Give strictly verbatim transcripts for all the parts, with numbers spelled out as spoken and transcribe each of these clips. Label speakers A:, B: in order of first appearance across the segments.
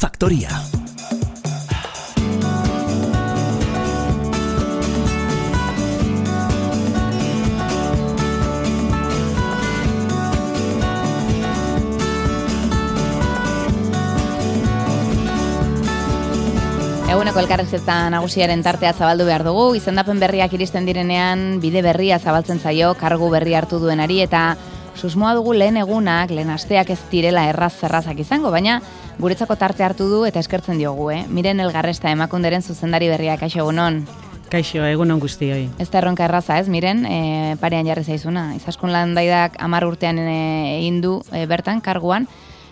A: Faktoria.
B: Eguneko elkarrizketa nagusiaren tartea zabaldu behar dugu, izendapen berriak iristen direnean bide berria zabaltzen zaio kargu berri hartu duenari eta susmoa dugu lehen egunak, lehen asteak ez direla erraz-zerrazak izango, baina guretzako tarte hartu du eta eskertzen diogu, eh? Miren Elgarresta Emakunderen zuzendari berriak, kaixo egunon.
C: Kaixo, egunon guztioi.
B: Ez da erronka erraza, ez, Miren, e, parean jarri zaizuna. Izaskun Landaidak hamar urtean e, egin du e, bertan, karguan,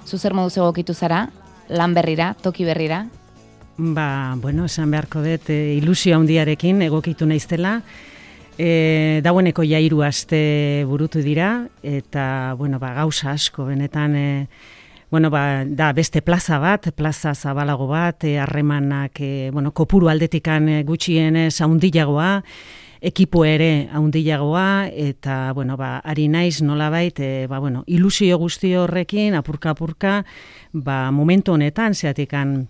B: zu zer moduz egokitu zara, lan berrira, toki berrira?
C: Ba, bueno, esan beharko dut, e, ilusio handiarekin egokitu naiztela. E, daueneko ja hiru aste burutu dira, eta, bueno, ba, gauza asko, benetan, e, bueno, ba, da beste plaza bat, plaza zabalago bat, e, harremanak, e, bueno, kopuru aldetikan gutxienez handiagoa, ekipo ere handiagoa, eta, bueno, ba, ari naiz nolabait, e, ba, bueno, ilusio guzti horrekin, apurka-apurka, ba, momentu honetan, zeatikan,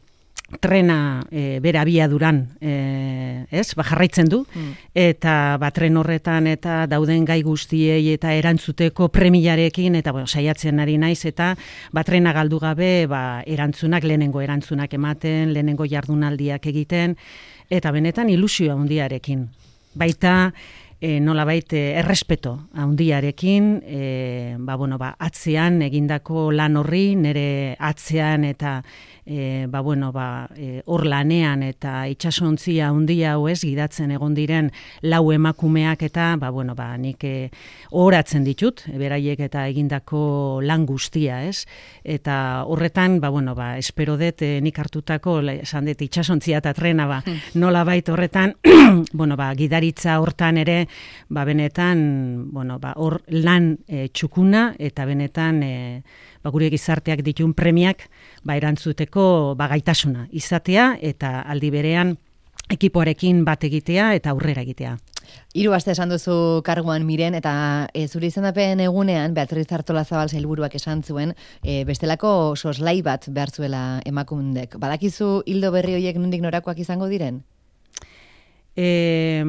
C: trena e, bera abiaduran e, ez, ba, jarraitzen du, mm. eta ba, tren horretan eta dauden gai guztiei eta erantzuteko premiarekin, eta bueno, saiatzen ari naiz, eta ba, trena galdu gabe ba, erantzunak, lehenengo erantzunak ematen, lehenengo jardunaldiak egiten, eta benetan ilusio handiarekin. Baita, e, nolabait e, errespeto handiarekin, e, ba, bueno, ba, atzean egindako lan horri, nire atzean eta E, ba, bueno, ba, e, hor lanean eta itsasontzia handia hau ez gidatzen egon diren lau emakumeak eta ba, bueno, ba, nik e, ohoratzen ditut, beraiek eta egindako lan guztia, ez? Eta horretan, ba, bueno, ba, espero dut e, nik hartutako, esan dut, itsasontzia eta trena, ba, nola bait horretan, bueno, ba, gidaritza hortan ere, ba, benetan, bueno, ba, hor lan e, txukuna eta benetan, e, ba, gure gizarteak ditun premiak ba, erantzuteko ba, gaitasuna izatea eta aldi berean ekipoarekin bat egitea eta aurrera egitea.
B: Hiru aste esan duzu karguan, Miren, eta e, zure izendapen egunean Beatriz Artolazabal sailburuak esan zuen e, bestelako soslai bat behar zuela Emakundek. Badakizu hildo berri horiek nondik norakoak izango diren?
C: Eh,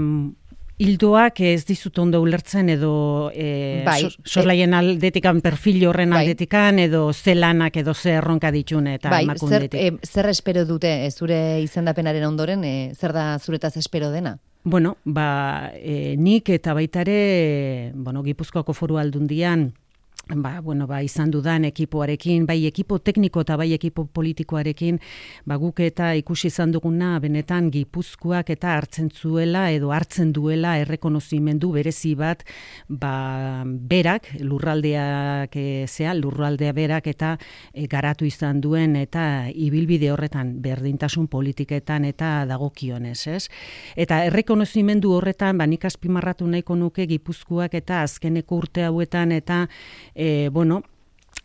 C: Hildoak ez dizut ondo ulertzen edo e, bai, sorlaien aldetikan, perfil horren bai. aldetikan, edo ze lanak edo ze erronka ditune eta
B: bai,
C: Emakundetik.
B: Zer, e, zer espero dute e, zure izendapenaren ondoren, e, zer da zuretaz espero dena?
C: Bueno, ba, e, nik eta baitare, bueno, Gipuzkoako Foru Aldundian, ba, bueno, ba, izan dudan ekipoarekin, bai ekipo tekniko eta bai ekipo politikoarekin, ba, guk eta ikusi izan duguna benetan Gipuzkoak eta hartzen zuela edo hartzen duela errekonozimendu berezi bat, ba, berak, lurraldeak e, zea, lurraldea berak eta e, garatu izan duen eta ibilbide horretan berdintasun politiketan eta dagokionez, ez? Eta errekonozimendu horretan, ba, nik azpimarratu nahiko nuke Gipuzkoak eta azkeneko urte hauetan eta E, bueno,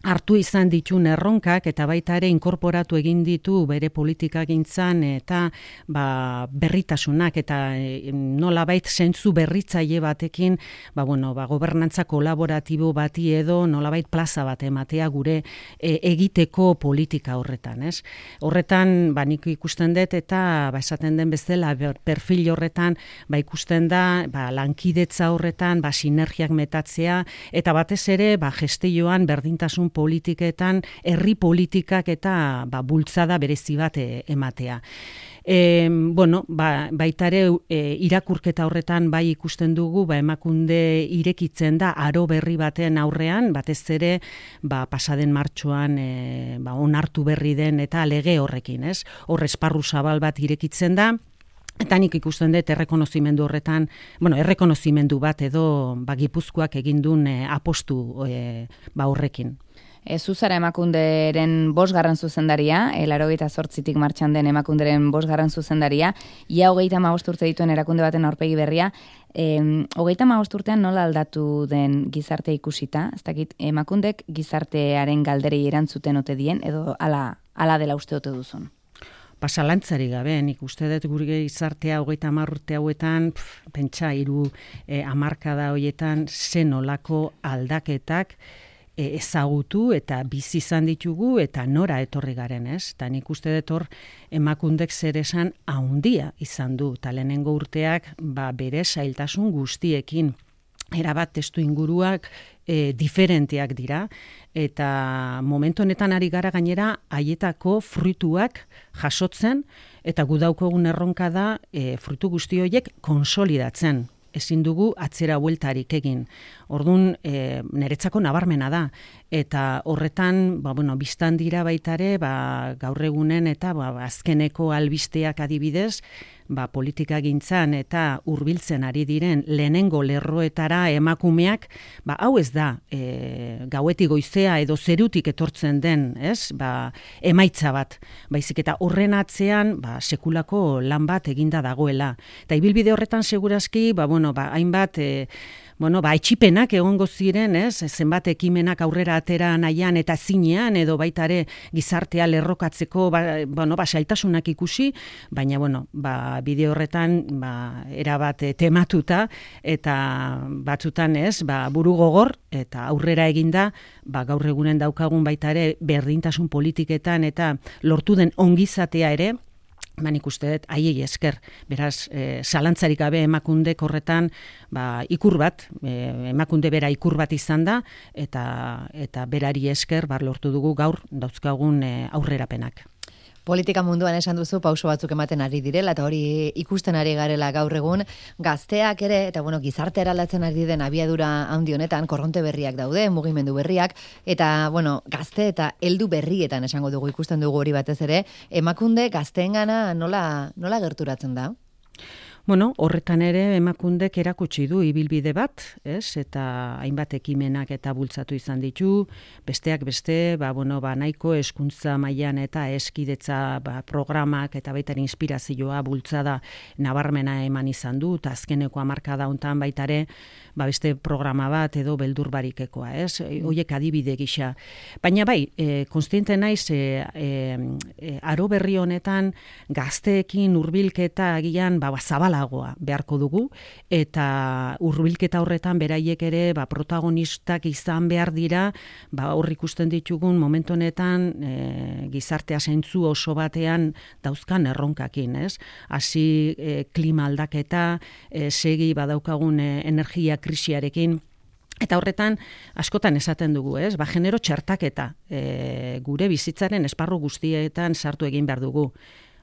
C: hartu izan ditun erronkak eta baita ere inkorporatu egin ditu bere politikagintzan eta ba, berritasunak eta e, nolabait zentzu berritzaile batekin ba, bueno, ba, gobernantza kolaboratibo bati edo nolabait plaza bat ematea gure e, egiteko politika horretan, ez? Horretan ba, nik ikusten dut eta ba, esaten den bezala perfil horretan ba, ikusten da ba, lankidetza horretan ba, sinergiak metatzea eta batez ere ba, gestioan berdintasun politiketan, herri politikak eta ba, bultzada berezi bat e, ematea. E, bueno, ba, baitare e, irakurketa horretan bai ikusten dugu, ba, Emakunde irekitzen da aro berri baten aurrean, batez ere ba, pasaden martxoan e, ba, onartu berri den eta lege horrekin, ez? Hor esparru zabal bat irekitzen da, eta nik ikusten dut errekonozimendu horretan, bueno, errekonozimendu bat edo ba, Gipuzkoak egindun e, apostu e, ba, horrekin.
B: E, Zuzara Emakunderen bosgarren zuzendaria, laurogeita zortzitik martxan den Emakunderen bosgarren zuzendaria, ia hogeita hamabost urte dituen erakunde baten aurpegi berria, e, hogeita hamabost urtean nola aldatu den gizarte ikusita, ez dakit, Emakundek gizartearen galderei erantzuten ote dien, edo ala, ala dela uste ote duzun?
C: Pasalantzari gabe, nik uste dut gure gizartea hogeita hamar urte hauetan, pf, pentsa hiru eh, hamarkada horietan zen olako aldaketak ezagutu eta bizi izan ditugu eta nora etorri garen, ez? Eta nik uste dut hor emakundek zer esan handia izan du, eta lehenengo urteak ba, bere zailtasun guztiekin, erabat testu inguruak e, diferenteak dira, eta momentu honetan ari gara gainera haietako fruituak jasotzen, eta gu daukagun erronka da e, fruitu guzti horiek konsolidatzen. Ezin dugu atzera bueltarik egin. Orduan, e, niretzako nabarmena da. Eta horretan, ba, bueno, biztan dira baitare, ba, gaur egunen eta ba, azkeneko albisteak adibidez, ba, politika gintzan eta hurbiltzen ari diren lehenengo lerroetara emakumeak, ba, hau ez da, e, gauetik goizea edo zerutik etortzen den, ez? Ba, emaitza bat. Baizik eta horren atzean, ba, sekulako lan bat eginda dagoela. Eta ibilbide horretan segurazki, ba, bueno, ba, hainbat, e, bueno, ba, etxipenak egongo ziren, ez? Zenbat ekimenak aurrera atera nahian eta zinean, edo baitare gizartea lerrokatzeko, ba, bueno, ba, sailtasunak ikusi, baina, bueno, ba, bideo horretan, ba, erabat tematuta, eta batzutan, ez, ba, buru gogor, eta aurrera eginda, ba, gaur egunen daukagun baitare berdintasun politiketan, eta lortu den ongizatea ere, ba, nik uste dut, haiei esker, beraz, e, zalantzarik gabe emakundek horretan, ba, ikur bat, e, emakunde bera ikur bat izan da, eta, eta berari esker, bar lortu dugu gaur dauzkagun e, aurrerapenak.
A: Politika munduan esan duzu pauso batzuk ematen ari direla, eta hori ikusten ari garela gaur egun, gazteak ere, eta bueno, gizarte eraldatzen ari den abiadura handi honetan, korronte berriak daude, mugimendu berriak, eta bueno, gazte eta heldu berrietan esango dugu, ikusten dugu hori batez ere, emakunde gazteengana nola, nola gerturatzen da?
C: Bueno, horretan ere emakundek erakutsi du ibilbide bat, ez? Eta hainbat ekimenak eta bultzatu izan ditu, besteak beste, ba, bueno, ba, nahiko hezkuntza mailan eta eskidetza ba, programak eta baita inspirazioa bultzada nabarmena eman izan du, eta azkeneko hamarkada hontan baitare, ba, beste programa bat edo beldur barikekoa, ez? Hoiek adibide gisa. Baina bai, e, konstiente naiz, e, e, aro berri honetan gazteekin hurbilketa agian ba, zabala beharko dugu, eta hurbilketa horretan beraiek ere ba, protagonistak izan behar dira, ba, hor ikusten ditugun momentu honetan e, gizartea zentzu oso batean dauzkan erronkakin, ez? Hasi e, klima aldaketa, e, segi badaukagun e, energia krisiarekin, eta horretan askotan esaten dugu, ez? Ba, genero txertaketa e, gure bizitzaren esparru guztietan sartu egin behar dugu.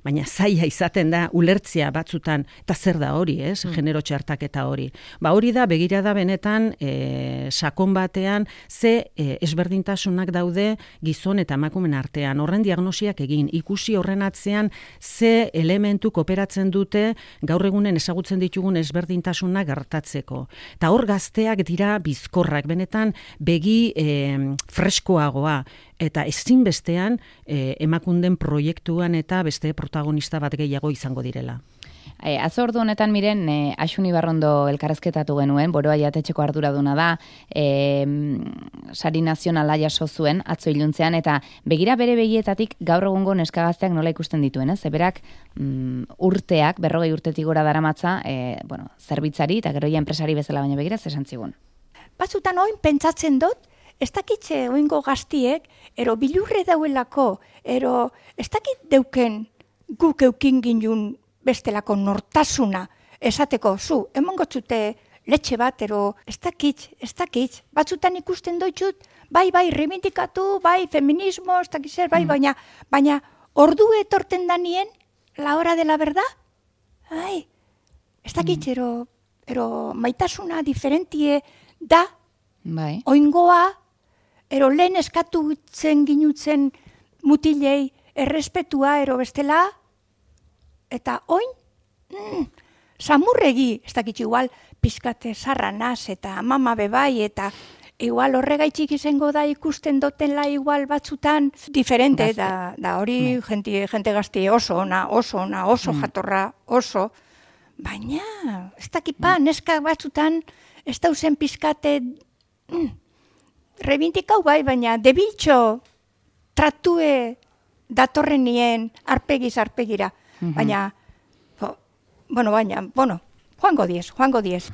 C: Baina zaila izaten da ulertzea batzutan, eta zer da hori, ez? Mm. Genero txertaketa hori. Ba hori da, begira da benetan, e, sakon batean, ze e, ezberdintasunak daude gizon eta emakumen artean. Horren diagnosiak egin, ikusi horren atzean, ze elementu kooperatzen dute gaur egunen ezagutzen ditugun ezberdintasunak gertatzeko. Eta hor gazteak dira bizkorrak, benetan begi e, freskoagoa, eta ezinbestean e, emakunden proiektuan eta beste protagonista bat gehiago izango direla.
B: E, Azordu honetan miren, e, Axun Ibarrondo elkarrezketatu genuen, Boroa jatetxeko arduraduna da, e, sari nazionala jaso zuen, atzo iluntzean, eta begira bere begietatik gaur egungo neskagazteak nola ikusten dituen, ez? Eberak mm, urteak, berrogei urtetik gora daramatza, e, bueno, zerbitzari eta gero ja enpresari bezala baina begira, zesan zigun.
D: Batzutan oin pentsatzen dut, ez dakitze oingo gaztiek, ero bilurre dauelako, ero ez dakit deuken guk eukin ginun bestelako nortasuna, esateko, zu, emongo txute letxe bat, ero ez dakit, ez dakit, batzutan ikusten doitxut, bai, bai, reivindikatu, bai, feminismo, ez dakit zer, bai, mm. baina, baina, ordu etorten danien, la hora de la verdad, bai, ez dakit, mm. ero, ero maitasuna diferentie da,
B: bai.
D: Oingoa, ero lehen eskatutzen ginutzen mutilei errespetua ero bestela, eta oin, mm, samurregi, ez dakit igual, pizkate zarranaz eta mama bebai, eta igual horregaitxik izango da ikusten dotela igual batzutan diferente, da, da hori jente, jente gazte oso ona, oso ona, oso mm. jatorra, oso, baina, ez dakit pa, neska batzutan, ez dauzen pizkate, mm, rebindikau bai, baina debiltxo tratue datorren nien arpegiz arpegira. Mm-hmm. Baina, bo, bueno, baina, bueno, joango diez, joango diez.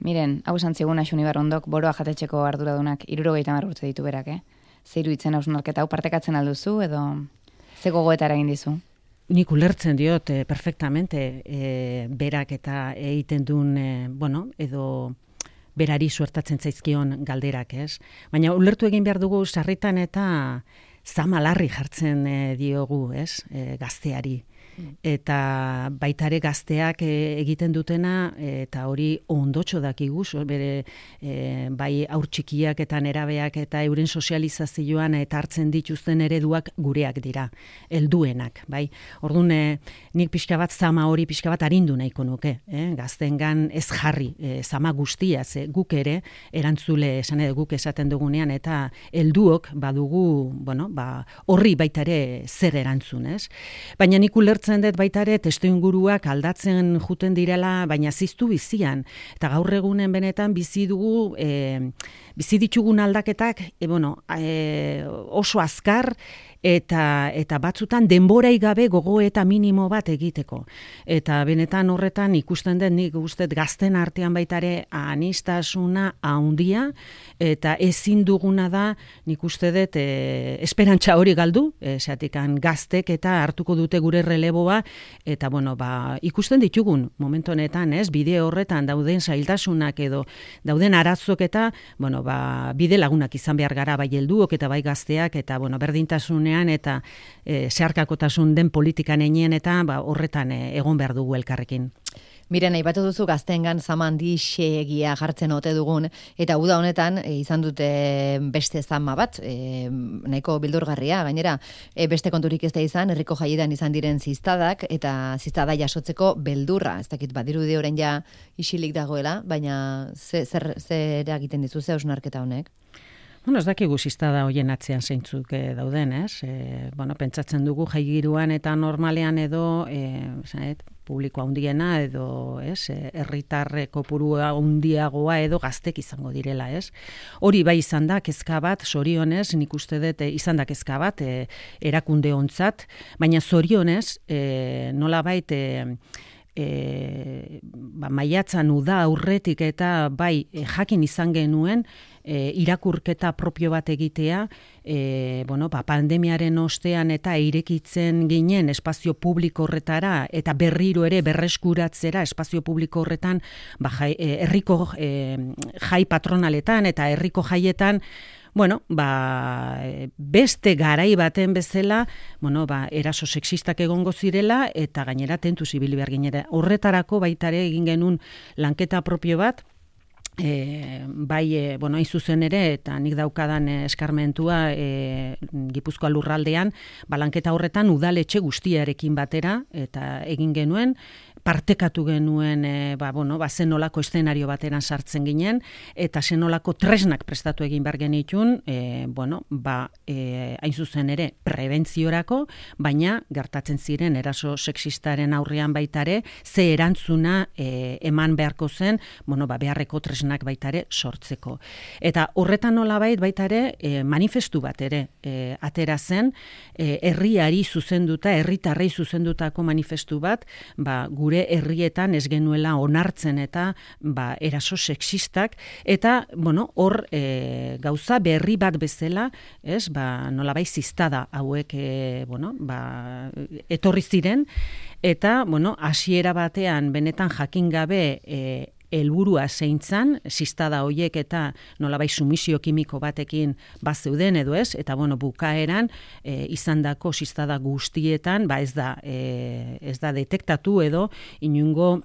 B: Miren, hau esan zigun Axuni Barrondok, boroa jatetxeko arduradunak hirurogeita hamar urte ditu berak, eh? Zeiru itzen hausnarketa hau partekatzen alduzu edo ze gogoeta eragin dizu?
C: Nik ulertzen diot eh, perfectamente eh, berak eta egiten duen, eh, bueno, edo berari suertatzen zaizkion galderak, ez? Baina ulertu egin behar dugu sarritan eta zamalarri jartzen eh, diogu, ez? Eh, gazteari. Eta baitare gazteak e, egiten dutena eta hori ondotxo dakigu, bere e, bai aur txikiak eta nerabeak eta euren sozializazioan eta hartzen dituzten ereduak gureak dira, helduenak, bai. Orduan e, nik pixka bat zama hori pixka bat arindu nahiko nuke, eh? Gaztengan ez jarri, e, zama guztia, ze guk ere erantzule esan edo guk esaten dugunean eta helduok badugu, bueno, ba horri baitare zer erantzun, ez? Baina nik ulertzen dut baitare testuinguruak aldatzen juten direla, baina ziztu bizian. Eta gaur egunen benetan bizi dugu, e, bizi ditugun aldaketak, e, bueno, e, oso azkar, eta eta batzutan denborai gabe gogoeta minimo bat egiteko. Eta benetan horretan ikusten dut nik guztet gazten artean baitare anistasuna handia, eta ezin duguna da nik uste dut e, esperantza hori galdu, esatikan gaztek eta hartuko dute gure releboa, eta bueno, ba, ikusten ditugun momentu honetan, ez, bide horretan dauden zailtasunak edo dauden arazok eta, bueno, ba, bide lagunak izan behar gara bai helduok eta bai gazteak, eta bueno, berdintasunean eta e, zeharkakotasun den politikan einien eta ba, horretan e, egon behar dugu elkarrekin.
A: Miren, aipatu duzu gaztengan zama handi xegia jartzen ote dugun, eta uda honetan e, izan dute beste zama bat, e, nahiko bildurgarria, gainera, e, beste konturik ez da izan, herriko jaietan izan diren ziztadak, eta ziztada jasotzeko beldurra, ez dakit badirudi orain ja isilik dagoela, baina ze, zer, zer egiten dizu, ze hausnarketa honek?
C: Bueno, ez dakigu ziztada hoien atzean zeintzuk e, dauden, ez? E, bueno, pentsatzen dugu jaigiruan eta normalean edo, e, zanet, publiko handiena edo, ez, herritarre kopuru handiagoa edo gaztek izango direla, ez? Hori bai izan da kezka bat, zorionez, nik uste dut izan da kezka bat, e, erakunde ontzat, baina zorionez, e, nolabait, e, E, ba, maiatzan uda aurretik eta bai e, jakin izan genuen e, irakurketa propio bat egitea, e, bueno, ba, pandemiaren ostean eta irekitzen ginen espazio publiko horretara eta berriro ere berreskuratzera espazio publiko horretan ba, jai, e, herriko e, jai patronaletan eta herriko jaietan, bueno, ba, beste garai baten bezala, bueno, ba, eraso sexistak egongo zirela eta gainera tentuz ibili behar ginera. Horretarako baitare egin genuen lanketa propio bat, E, bai, e, bueno, hain zuzen ere, eta nik daukadan e, eskarmentua e, Gipuzkoa lurraldean, balanketa horretan udaletxe guztiarekin batera, eta egin genuen, partekatu genuen, e, ba, bueno, ba, zenolako eszenario bateran sartzen ginen, eta zenolako tresnak prestatu egin behar genitun, e, bueno, ba, e, hain zuzen ere, prebentziorako, baina gertatzen ziren eraso sexistaren aurrean baitare, ze erantzuna e, eman beharko zen, bueno, ba, beharreko tresnak baitare sortzeko. Eta horretan nolabait baitare e, manifestu bat ere e, atera zen, e, herriari zuzenduta, herritarrei zuzendutako manifestu bat, ba, gure herrietan ez genuela onartzen eta ba, eraso sexistak, eta bueno, hor e, gauza berri bat bezala, ez, ba, nolabait ziztada hauek e, bueno, ba, etorri ziren, eta bueno, hasiera batean benetan jakin gabe e, helburua zeintzan, ziztada hoiek eta nolabait sumisio kimiko batekin bazeuden edo ez, eta bueno, bukaeran e, izandako ziztada guztietan, ba ez da, e, ez da detektatu edo inungo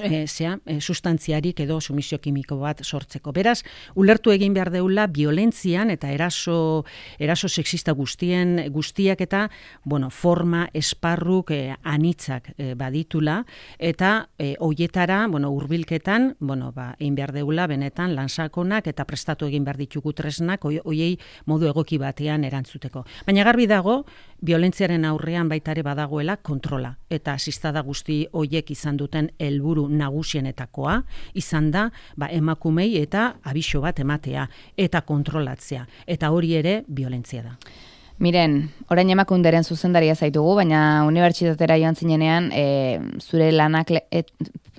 C: E, zea, e, sustantziarik edo sumisio kimiko bat sortzeko. Beraz, ulertu egin behar deula violentzian eta eraso, eraso sexista guztien, guztiak eta bueno, forma, esparruk e, anitzak e, baditula, eta e, hoietara, bueno, hurbilketan, bueno, ba, egin behar deula benetan lansakonak eta prestatu egin behar ditugu tresnak hoiei modu egoki batean erantzuteko. Baina garbi dago, violentziaren aurrean baitare badagoela kontrola, eta ziztada guzti hoiek izan duten helburu nagusienetakoa izan da ba, emakumei eta abiso bat ematea eta kontrolatzea. Eta hori ere violentzia da.
B: Miren, orain emakunderen zuzendaria zaitugu, baina unibertsitatera joan zinenean e, zure lanak le, et,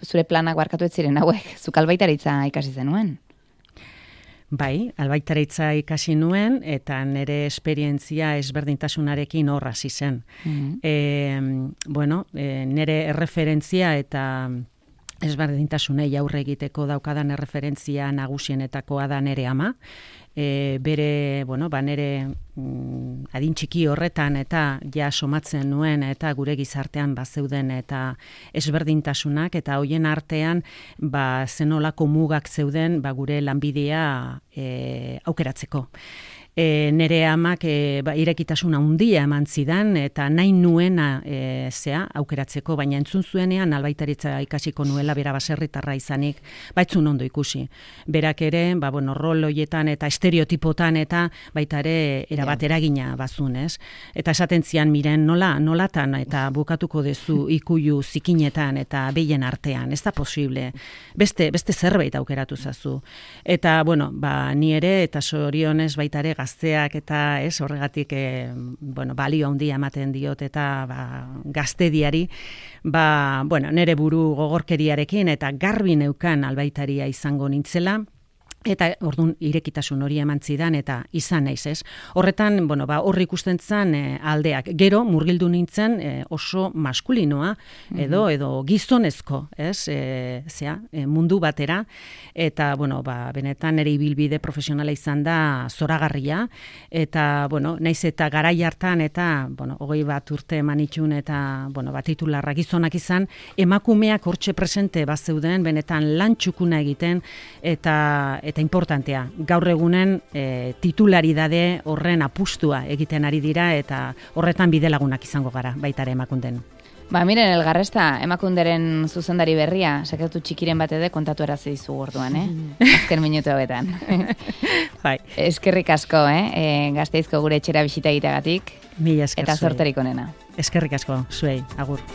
B: zure planak barkatu ez ziren hauek, zuk albaitaritza ikasi zenuen.
C: Bai, albaitaritza ikasi nuen, eta nire esperientzia ezberdintasunarekin hor hasi zen. Mm-hmm. E, bueno, e, nire erreferentzia eta ezberdintasunei aurre egiteko daukadan erreferentzia nagusienetakoa da nire ama. E, bere, bueno, ba nire mm, adin txiki horretan eta ja somatzen nuen eta gure gizartean bazeuden eta ezberdintasunak eta hoien artean ba zenolako mugak zeuden ba gure lanbidea e, aukeratzeko. E, nere amak e, ba, irekitasun handia eman zidan eta nahi nuena e, zea aukeratzeko, baina entzun zuenean albaitaritza ikasiko nuela bera baserritarra izanik, baitzun ondo ikusi. Berak ere, ba, bueno, rol hoietan eta estereotipotan eta baita ere erabat eragina bazun, ez? Eta esaten zian, miren, nola, nolatan eta bukatuko dezu ikuilu zikinetan eta behien artean, ez da posible. Beste, beste zerbait aukeratu zazu. Eta, bueno, ba, ni ere eta sorionez baita ere gazteak eta ez horregatik e, bueno, balio handia ematen diot eta ba, gaztediari ba, bueno, nere buru gogorkeriarekin eta garbi neukan albaitaria izango nintzela. Eta ordun irekitasun hori eman zidan eta izan naiz, ez? Horretan, bueno, ba hor ikusten zen e, aldeak. Gero murgildu nintzen e, oso maskulinoa edo mm-hmm. edo gizonezko, ez? E, zea, e, mundu batera eta bueno, ba benetan ere ibilbide profesionala izan da zoragarria eta bueno, naiz eta garai hartan eta bueno, hogei bat urte emanitxun eta bueno, ba titularra gizonak izan, emakumeak hortxe presente bazeuden benetan lan txukuna egiten eta eta importantea, gaur egunen e, titularidade horren apustua egiten ari dira eta horretan bidelagunak izango gara, baita ere emakunden.
B: Ba, miren, Elgarresta, emakunderen zuzendari berria, sekretu txikiren bat ede kontatu erazi dizu gorduan, eh? Azken minutu hauetan.
C: Bai.
B: Eskerrik asko, eh? E, Gasteizko gure etxera bisita egiteagatik.
C: Mila esker
B: eta
C: zuei.
B: zorterik onena.
C: Eskerrik asko, zuei, agur.